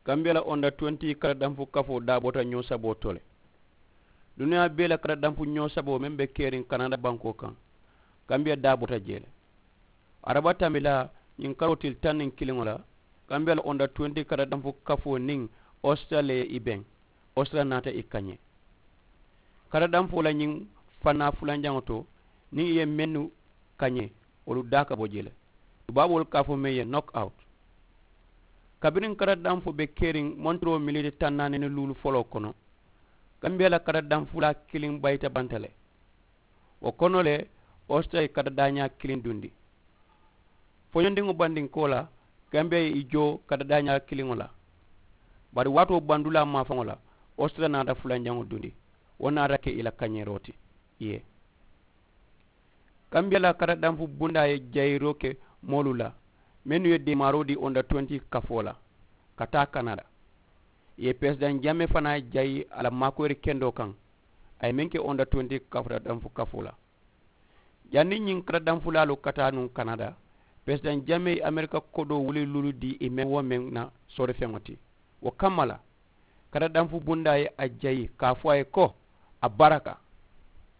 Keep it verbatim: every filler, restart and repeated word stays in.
Kambiya la onda tuwenti karadanfu kafoo daa bota ñoo saboo to le. Duniyaa bee la karadanfu ñoo saboo meŋ be keriŋ kanada bankoo kaŋ, kambiya daa bota jee le. Araba tambilaa ñiŋ karoo tili taŋ niŋ kiliŋo la, kambiya la onda tuwenti karadanfu kafoo niŋ osita le ye i beŋ. Osita naata i kañee. Karadanfoo la ñiŋ fannaa fulanjaŋo to, niŋ i ye mennu kañee, wolu daa ka bo jee le. Tubaaboolu ka a fo meŋ ye nokawuti. Kabiriŋ karadanfoo be keriŋ montoroo militi taŋ naani ni luulu foloo kono, kambiya la karadanfulaa kiliŋ bayita banta le. Wo kono le, osita ye karadaañaa kiliŋ dundi. Foñondiŋo bandinkoo la, kambiya ye i joo karadaañaa kiliŋo la. Bari waatoo bandulaa maafaŋo la, osita naata fulanjaŋo dundi. Wo naata ke i la kañeeroo ti i ye. Kambiya la karadanfu bundaa ye jayiroo ke moolu la, mennu ye deemaaroo dii onda tuwenti kafoo la ka taa kanada. I ye peresidaŋ jamee fanaa jayi a la maakoyiri kendoo kaŋ. A ye meŋ ke onda tuwenti karadanfu kafoo la. Janniŋ ñiŋ karadanfulaalu ka taa nuŋ kanada, peresidaŋ jamee ye amerika kodoo wuli luulu dii i meŋ wo meŋ na soorifeŋo ti. Wo kamma la, karadanfu bundaa ye a jayi ka a fo a ye ko, a baraka.